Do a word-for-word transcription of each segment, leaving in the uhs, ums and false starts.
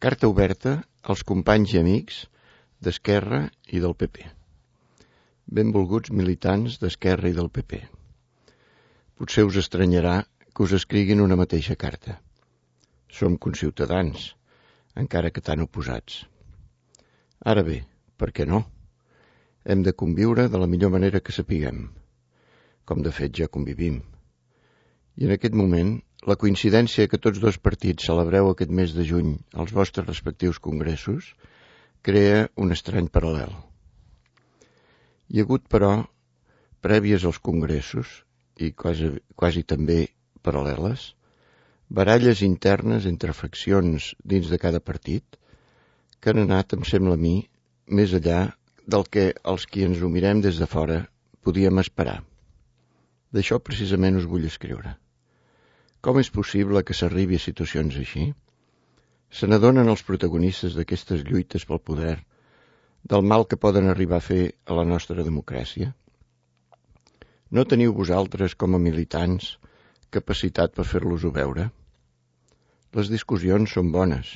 Carta oberta als companys i amics d'Esquerra i del P P. Benvolguts militants d'Esquerra i del P P. Potser us estranyarà que us escriguin una mateixa carta. Som conciutadans, encara que tan oposats. Ara bé, per què no? Hem de conviure de la millor manera que sapiguem, com de fet ja convivim. I en aquest moment, la coincidència que tots dos partits celebreu aquest mes de juny als vostres respectius congressos crea un estrany paral·lel. Hi ha hagut, però, prèvies als congressos, i quasi, quasi també paral·leles, baralles internes entre faccions dins de cada partit que han anat, em sembla a mi, més enllà del que els qui ens ho mirem des de fora podíem esperar. D'això precisament us vull escriure. Com és possible que s'arribi a situacions així? Se n'adonen els protagonistes d'aquestes lluites pel poder del mal que poden arribar a fer a la nostra democràcia? No teniu vosaltres, com a militants, capacitat per fer-los-ho veure? Les discussions són bones,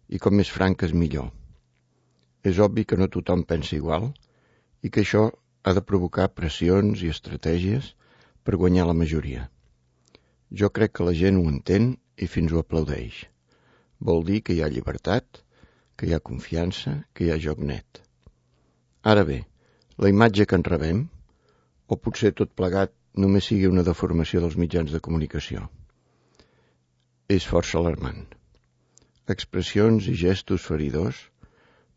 i com més franques millor. És obvi que no tothom pensa igual i que això ha de provocar pressions i estratègies per guanyar la majoria. Jo crec que la gent ho entén i fins ho aplaudeix. Vol dir que hi ha llibertat, que hi ha confiança, que hi ha joc net. Ara bé, la imatge que en rebem, o potser tot plegat només sigui una deformació dels mitjans de comunicació, és força alarmant. Expressions i gestos feridors,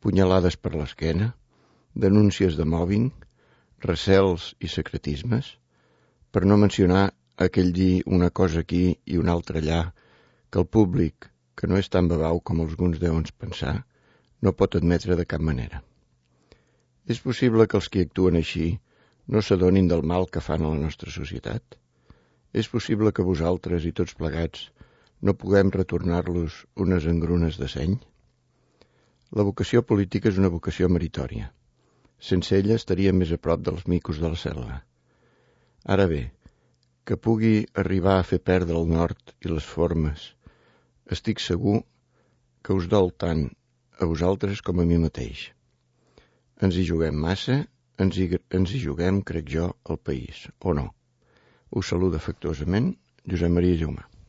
punyalades per l'esquena, denúncies de mòbbing, recels i secretismes, per no mencionar aquell dir una cosa aquí i una altra allà que el públic, que no és tan babau com alguns deuen pensar, no pot admetre de cap manera. És possible que els qui actuen així no s'adonin del mal que fan a la nostra societat? És possible que vosaltres i tots plegats no puguem retornar-los unes engrunes de seny? La vocació política és una vocació meritòria. Sense ella estaríem més a prop dels micos de la selva. Ara bé, que pugui arribar a fer perdre el nord i les formes, estic segur que us dol tant a vosaltres com a mi mateix. Ens hi juguem massa, ens hi, ens hi juguem, crec jo, el país, o no? Us saluda afectuosament Josep Maria Jaumà.